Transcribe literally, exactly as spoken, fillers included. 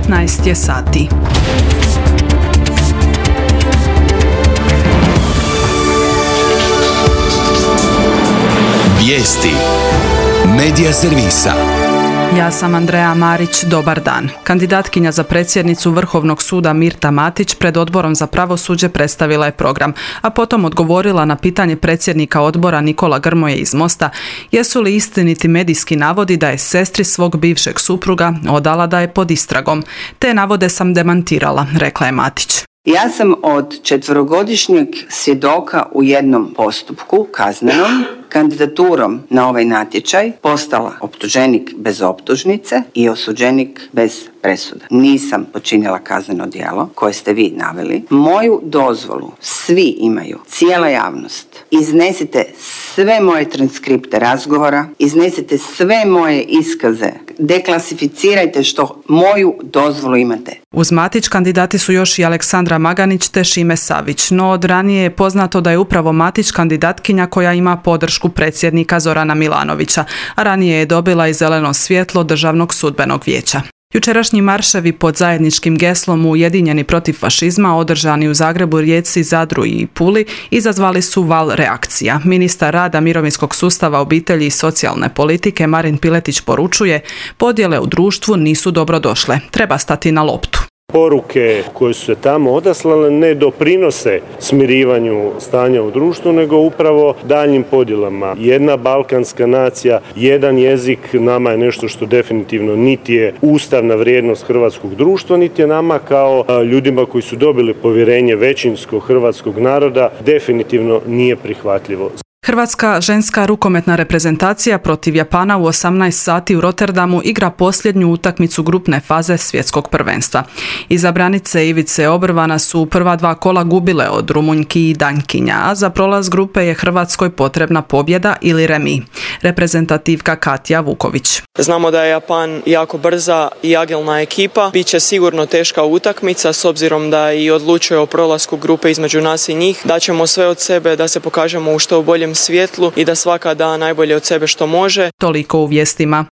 devetnaest je sati. Vijesti Medija servisa. Ja sam Andreja Marić, dobar dan. Kandidatkinja za predsjednicu Vrhovnog suda Mirta Matić pred Odborom za pravosuđe predstavila je program, a potom odgovorila na pitanje predsjednika odbora Nikola Grmoje iz Mosta jesu li istiniti medijski navodi da je sestri svog bivšeg supruga odala da je pod istragom. Te navode sam demantirala, rekla je Matić. Ja sam od četverogodišnjeg svjedoka u jednom postupku kaznenom kandidaturom na ovaj natječaj postala optuženik bez optužnice i osuđenik bez presude. Nisam počinila kazneno djelo koje ste vi naveli. Moju dozvolu svi imaju, cijela javnost. Iznesite sve moje transkripte razgovora, iznesite sve moje iskaze, deklasificirajte što moju dozvolu imate. Uz Matić kandidati su još i Aleksandra Maganić te Šime Savić, no od ranije je poznato da je upravo Matić kandidatkinja koja ima podršku predsjednika Zorana Milanovića, a ranije je dobila i zeleno svjetlo Državnog sudbenog vijeća. Jučerašnji marševi pod zajedničkim geslom Ujedinjeni protiv fašizma održani u Zagrebu, Rijeci, Zadru i Puli izazvali su val reakcija. Ministar rada, mirovinskog sustava, obitelji i socijalne politike Marin Piletić poručuje: podjele u društvu nisu dobro došle, treba stati na loptu. Poruke koje su se tamo odaslale ne doprinose smirivanju stanja u društvu, nego upravo daljnjim podjelama. Jedna balkanska nacija, jedan jezik nama je nešto što definitivno niti je ustavna vrijednost hrvatskog društva, niti je nama kao ljudima koji su dobili povjerenje većinskog hrvatskog naroda definitivno nije prihvatljivo. Hrvatska ženska rukometna reprezentacija protiv Japana u osamnaest sati u Rotterdamu igra posljednju utakmicu grupne faze svjetskog prvenstva. Izabranice Ivice Obrvana su u prva dva kola gubile od Rumunjki i Dankinja, a za prolaz grupe je Hrvatskoj potrebna pobjeda ili remi. Reprezentativka Katja Vuković. Znamo da je Japan jako brza i agilna ekipa. Biće sigurno teška utakmica s obzirom da i odlučuje o prolasku grupe između nas i njih. Daćemo sve od sebe da se pokažemo u što boljem svjetlu i da svaka da najbolje od sebe što može. Toliko u vijestima.